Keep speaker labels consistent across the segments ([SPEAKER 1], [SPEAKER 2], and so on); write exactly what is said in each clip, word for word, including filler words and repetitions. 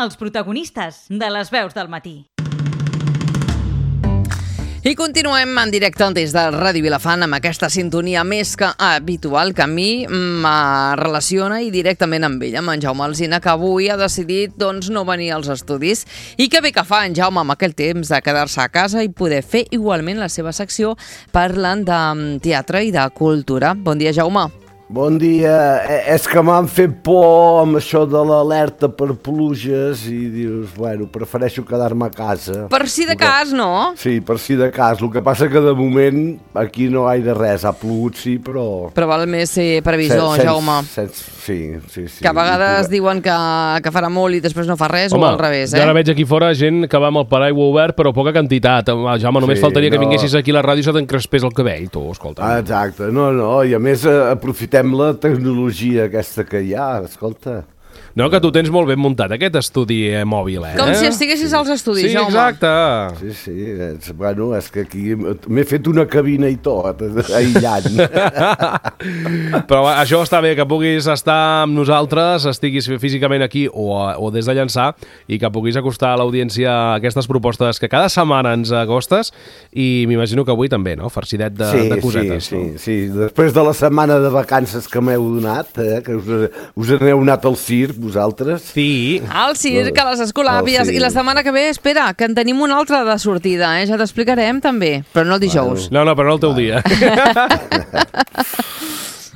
[SPEAKER 1] els protagonistes de les veus del matí.
[SPEAKER 2] I continuem en directe des de Ràdio Vilafant amb aquesta sintonia més que habitual que a mi me relaciona i directament amb ella, amb en Jaume Alsina, que avui ha decidit doncs, no venir als estudis. I que bé que fa en Jaume amb aquell temps de quedar-se a casa i poder fer igualment la seva secció parlant de teatre i de cultura. Bon dia, Jaume.
[SPEAKER 3] Bon dia. És que m'han fet por amb això de l'alerta per pluges i dius, bueno, prefereixo quedar-me a casa.
[SPEAKER 2] Per si de cas, no?
[SPEAKER 3] Sí, per si de cas. El que passa que de moment aquí no gaire res. Ha plogut, sí, però...
[SPEAKER 2] Però val més ser previsor,
[SPEAKER 3] Sen,
[SPEAKER 2] Jaume.
[SPEAKER 3] Sens, sí, sí, sí.
[SPEAKER 2] Que a vegades I, diuen que, que farà molt i després no fa res. Home, o al revés, eh?
[SPEAKER 4] Jo ara veig aquí fora gent que va amb el paraigua obert, però poca quantitat. Jaume, només
[SPEAKER 3] sí,
[SPEAKER 4] faltaria
[SPEAKER 3] no.
[SPEAKER 4] que vinguessis aquí a la ràdio i se t'encrespés el cabell, tu, escolta.
[SPEAKER 3] Ah, exacte. No, no, i a més aprofitem la tecnologia aquesta que hi ha, escolta.
[SPEAKER 4] No, que tu tens molt ben muntat aquest estudi eh, mòbil, eh?
[SPEAKER 2] Com si estiguessis als estudis,
[SPEAKER 4] sí,
[SPEAKER 2] Jaume.
[SPEAKER 4] Sí, exacte.
[SPEAKER 3] Sí, sí, és, bueno, és que aquí m'he fet una cabina i tot, aïllant.
[SPEAKER 4] Però això està bé, que puguis estar amb nosaltres, estiguis físicament aquí o, o des de llançar, i que puguis acostar a l'audiència aquestes propostes que cada setmana ens acostes, i m'imagino que avui també, no? Farcidet de,
[SPEAKER 3] sí,
[SPEAKER 4] de cosetes.
[SPEAKER 3] Sí,
[SPEAKER 4] no?
[SPEAKER 3] sí, sí. Després de la setmana de vacances que m'heu donat, eh, que us, us aneu anat al circ, vosaltres?
[SPEAKER 4] Sí.
[SPEAKER 2] Al circ, a les escolàpies, i la setmana que ve, espera, que en tenim una altra de sortida, eh? Ja t'explicarem també, però no el dijous.
[SPEAKER 4] No, no, però no el teu dia.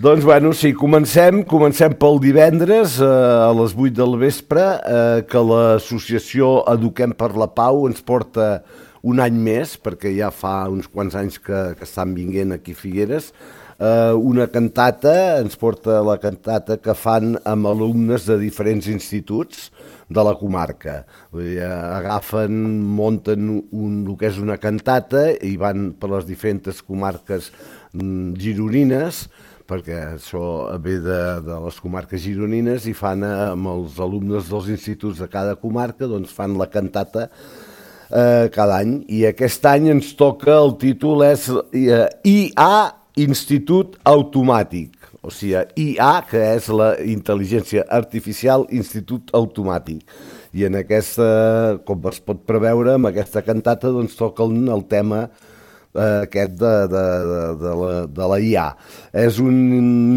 [SPEAKER 3] Doncs, bueno, sí, comencem, comencem pel divendres eh, a les vuit del vespre, eh, que l'associació Eduquem per la Pau ens porta un any més, perquè ja fa uns quants anys que, que estan vinguent aquí a Figueres, Uh, una cantata, ens porta la cantata que fan amb alumnes de diferents instituts de la comarca. Vull dir, agafen, munten un, el que és una cantata i van per les diferents comarques mm, gironines, perquè això ve de, de les comarques gironines, i fan amb els alumnes dels instituts de cada comarca, doncs fan la cantata eh, cada any. I aquest any ens toca, el títol és eh, I A Institut Automàtic, o sigui, I A, que és la Intel·ligència Artificial Institut Automàtic. I en aquesta, com es pot preveure, amb aquesta cantata doncs toquen el tema eh, aquest de, de, de, de, la, de la I A. És un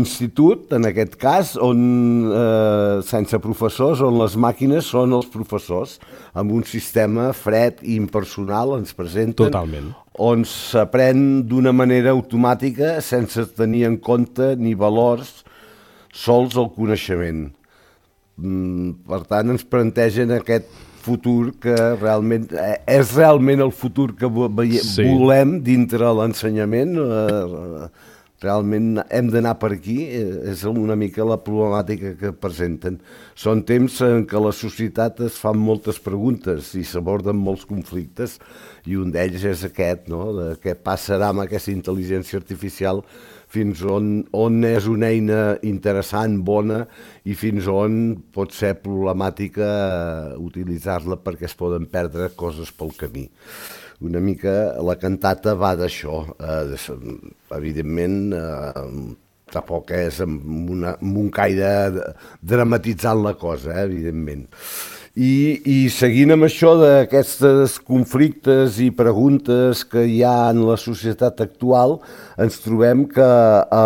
[SPEAKER 3] institut, en aquest cas, on eh, sense professors, on les màquines són els professors, amb un sistema fred i impersonal, ens presenten.
[SPEAKER 4] Totalment.
[SPEAKER 3] On s'aprèn d'una manera automàtica sense tenir en compte ni valors, sols el coneixement. Per tant, ens plantegen aquest futur que realment és realment el futur que sí. volem dintre l'ensenyament. Realment hem d'anar per aquí, és una mica la problemàtica que presenten. Són temps en què la societat es fa moltes preguntes i s'aborden molts conflictes, i un d'ells és aquest, no? De què passarà amb aquesta intel·ligència artificial, fins on, on és una eina interessant, bona, i fins on pot ser problemàtica utilitzar-la perquè es poden perdre coses pel camí. Una mica la cantata va d'això, eh, evidentment eh, tampoc és amb, una, amb un caire dramatitzant la cosa, eh, evidentment. I, I seguint amb això d'aquests conflictes i preguntes que hi ha en la societat actual, ens trobem que eh,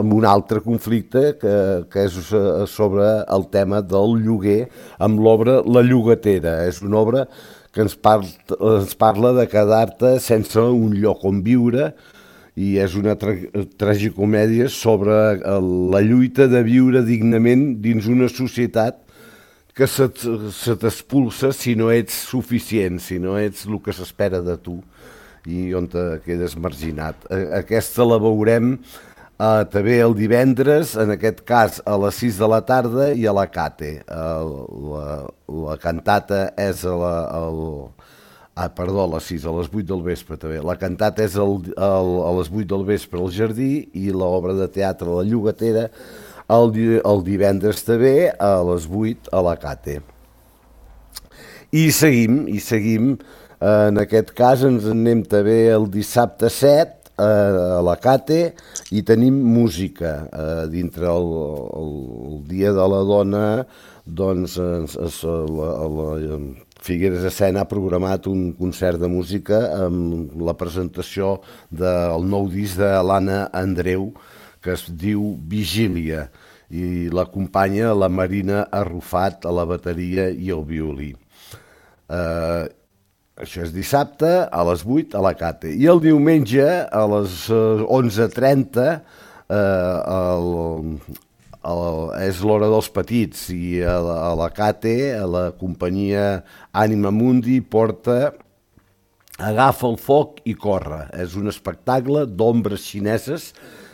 [SPEAKER 3] amb un altre conflicte que, que és sobre el tema del lloguer amb l'obra La Llogatera. És una obra que ens, par ens parla de quedar-te sense un lloc on viure, i és una tra tragicomèdia sobre la lluita de viure dignament dins una societat que se t'expulsa si no ets suficient, si no ets el que s'espera de tu i on te quedes marginat. Aquesta la veurem Uh, també el divendres, en aquest cas a les sis de la tarda, i a la Cate. Uh, la, la cantata és a, la, el, ah, perdó, a les sis, a les vuit del vespre també. La cantata és el, el, a les vuit del vespre al Jardí, i l'obra de teatre La Llogatera el, el divendres també a les vuit a la Cate. I seguim, i seguim, uh, en aquest cas ens anem també el dissabte set, a la Cate, i tenim música. Eh, dintre el, el, el Dia de la Dona, doncs, es, es, la, la Figueres Escena ha programat un concert de música amb la presentació del nou disc de l'Anna Andreu, que es diu Vigília, i l'acompanya la Marina Arrufat a la bateria i el violí. Eh, això és dissabte a les vuit a la Cate. I el diumenge a les onze trenta eh, el, el, és l'hora dels petits, i a la, a la Cate, a la companyia Ànima Mundi, porta Agafa el foc i corre. És un espectacle d'ombres xineses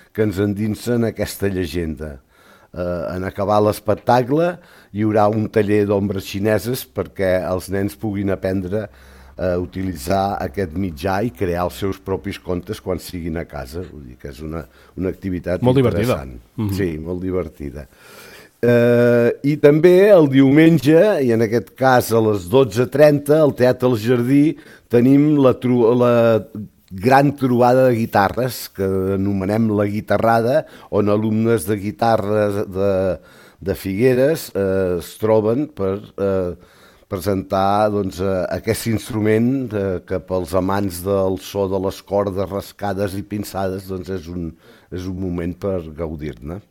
[SPEAKER 3] que ens endinsen aquesta llegenda. Uh, en acabar l'espectacle hi haurà un taller d'ombres xineses perquè els nens puguin aprendre a utilitzar aquest mitjà i crear els seus propis contes quan siguin a casa. Vull dir que és una, una activitat
[SPEAKER 4] molt
[SPEAKER 3] interessant.
[SPEAKER 4] Divertida. Mm-hmm.
[SPEAKER 3] Sí, molt divertida. Uh, I també el diumenge, i en aquest cas a les dotze trenta, al Teatre El Jardí, tenim la, la gran trobada de guitarres, que anomenem la guitarrada, on alumnes de guitarres de, de Figueres eh, es troben per eh, presentar doncs, eh, aquest instrument eh, que pels amants del so de les cordes rascades i pinçades doncs és, un, és un moment per gaudir-ne.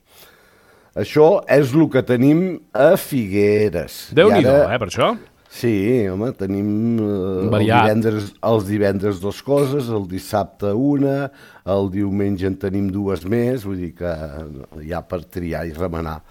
[SPEAKER 3] Això és el que tenim a Figueres.
[SPEAKER 4] Déu-n'hi-do, ara... eh, per això?
[SPEAKER 3] Sí, home, tenim eh, el divendres, els divendres dues coses, el dissabte una, el diumenge en tenim dues més, vull dir que hi ha per triar i remenar.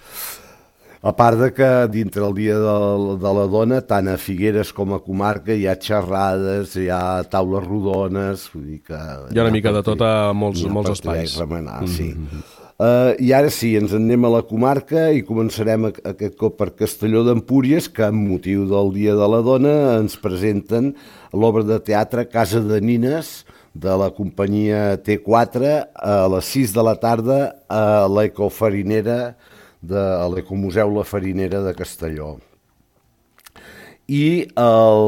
[SPEAKER 3] A part de que dintre el Dia de, de la Dona, tant a Figueres com a comarca, hi ha xerrades, hi ha taules rodones, vull dir que...
[SPEAKER 4] Hi ha una mica de tot a molts, molts espais.
[SPEAKER 3] Hi ha per triar i remenar, mm-hmm. sí. Uh, I ara sí, ens en anem a la comarca i començarem aquest cop per Castelló d'Empúries, que amb motiu del Dia de la Dona ens presenten l'obra de teatre Casa de Nines de la companyia T quatre a les sis de la tarda a l'Ecofarinera, de, a l'Ecomuseu La Farinera de Castelló. I el,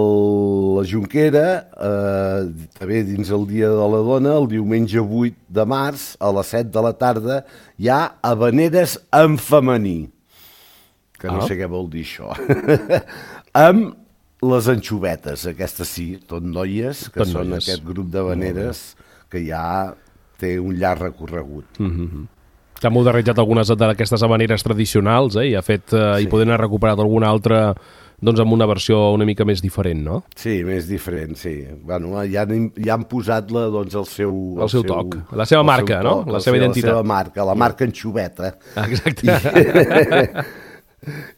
[SPEAKER 3] la Jonquera, eh, també dins el Dia de la Dona, el diumenge vuit de març, a les set de la tarda, hi ha Havaneres en femení, que no ah. sé què vol dir això, amb les anxovetes, aquestes sí, tot noies, que tot són noies. Aquest grup d'havaneres que ja té un llarg recorregut.
[SPEAKER 4] Mm-hmm. T'ha modernitjat algunes d'aquestes havaneres tradicionals, eh? I ha fet, eh, sí. I poden haver recuperat alguna altra... doncs amb una versió una mica més diferent, no?
[SPEAKER 3] Sí, més diferent, sí. Bueno, ja, han, ja han posat la, doncs, el seu...
[SPEAKER 4] El, el seu toc, seu, la seva marca, toc, no? La seva seu, identitat.
[SPEAKER 3] La seva marca, la marca anxoveta.
[SPEAKER 4] Exacte.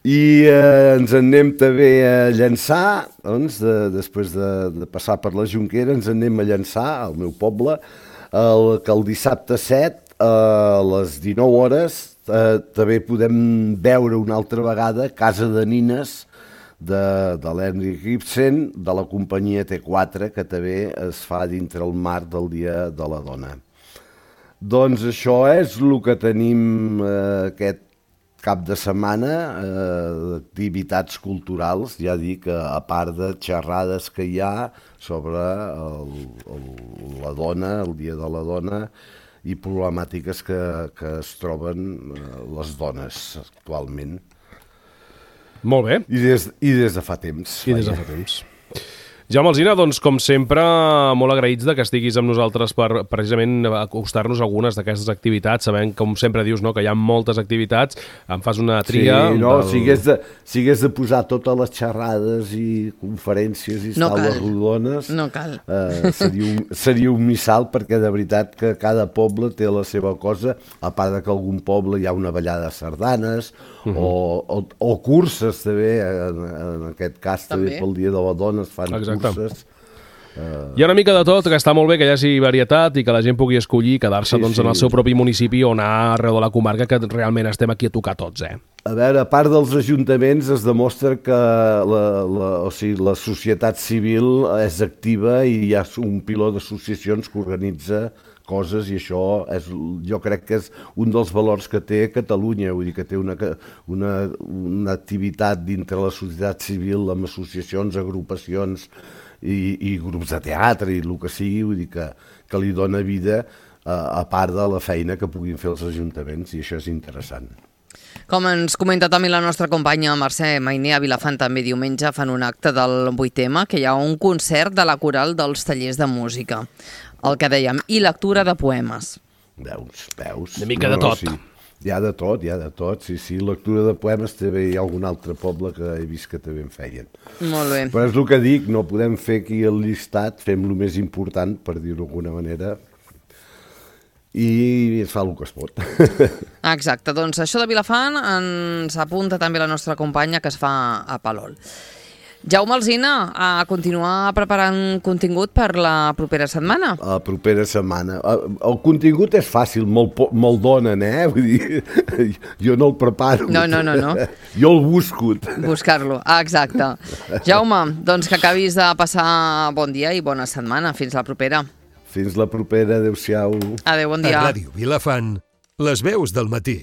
[SPEAKER 3] I, i eh, ens en anem també a Llançà, doncs, de, després de, de passar per la Jonquera, ens en anem a Llançà, al meu poble, el, que el dissabte set, a les dinou hores, eh, també podem veure una altra vegada Casa de Nines, de, de l'Henrik Ibsen, de la companyia T quatre, que també es fa dintre el marc del Dia de la Dona. Doncs això és el que tenim eh, aquest cap de setmana, eh, d'activitats culturals, ja dic, a part de xerrades que hi ha sobre el, el, la dona, el Dia de la Dona, i problemàtiques que, que es troben eh, les dones actualment.
[SPEAKER 4] Molt bé.
[SPEAKER 3] I des, i des de fa temps.
[SPEAKER 4] I des de fa temps. Jaume Alsina, doncs, com sempre, molt agraïts de que estiguis amb nosaltres per precisament acostar-nos algunes d'aquestes activitats, sabent, com sempre dius, no, que hi ha moltes activitats, em fas una tria...
[SPEAKER 3] Sí, no,
[SPEAKER 4] del...
[SPEAKER 3] si, hagués de, si hagués de posar totes les xerrades i conferències i
[SPEAKER 2] no
[SPEAKER 3] taules
[SPEAKER 2] cal.
[SPEAKER 3] rodones,
[SPEAKER 2] no cal.
[SPEAKER 3] Eh, seria, un, seria un missal, perquè de veritat que cada poble té la seva cosa, a part de que algun poble hi ha una ballada de sardanes, uh-huh. o, o, o curses també, en, en aquest cas també, també pel Dia de la Dona es fan Exacte. curses.
[SPEAKER 4] Uh... Hi ha una mica de tot, que està molt bé que hi hagi varietat i que la gent pugui escollir i quedar-se sí, doncs, sí. en el seu propi municipi o anar arreu de la comarca, que realment estem aquí a tocar tots, eh?
[SPEAKER 3] A veure, a part dels ajuntaments es demostra que la, la, o sigui, la societat civil és activa i hi ha un piló d'associacions que organitza coses, i això és, jo crec que és un dels valors que té Catalunya, vull dir que té una, una, una activitat dintre la societat civil amb associacions, agrupacions i, i grups de teatre i el que sigui, vull dir que, que li dona vida a, a part de la feina que puguin fer els ajuntaments, i això és interessant.
[SPEAKER 2] Com ens comenta també la nostra companya Mercè Mainer, a Vilafant també diumenge fan un acte del vuit eme, que hi ha un concert de la coral dels tallers de música. El que dèiem, i lectura de poemes.
[SPEAKER 3] Veus, veus.
[SPEAKER 4] Una mica no, de tot.
[SPEAKER 3] No, sí. Hi ha de tot, hi ha de tot, sí, sí. Lectura de poemes també hi ha algun altre poble que he vist que també en feien.
[SPEAKER 2] Molt bé.
[SPEAKER 3] Però és el que dic, no podem fer aquí el llistat, fem el més important, per dir-ho d'alguna manera, i es fa el que es pot.
[SPEAKER 2] Exacte, doncs això de Vilafant ens apunta també la nostra companya que es fa a Palol. Jaume Alsina, a continuar preparant contingut per la propera setmana.
[SPEAKER 3] La propera setmana. El contingut és fàcil, me'l me donen, eh? Vull dir, jo no el preparo.
[SPEAKER 2] No, no, no, no.
[SPEAKER 3] Jo el busco.
[SPEAKER 2] Buscar-lo, ah, exacte. Jaume, doncs que acabis de passar bon dia i bona setmana. Fins la propera.
[SPEAKER 3] Fins la propera, adéu-siau.
[SPEAKER 2] Adéu, bon dia.
[SPEAKER 5] A Ràdio Vilafant, les veus del matí.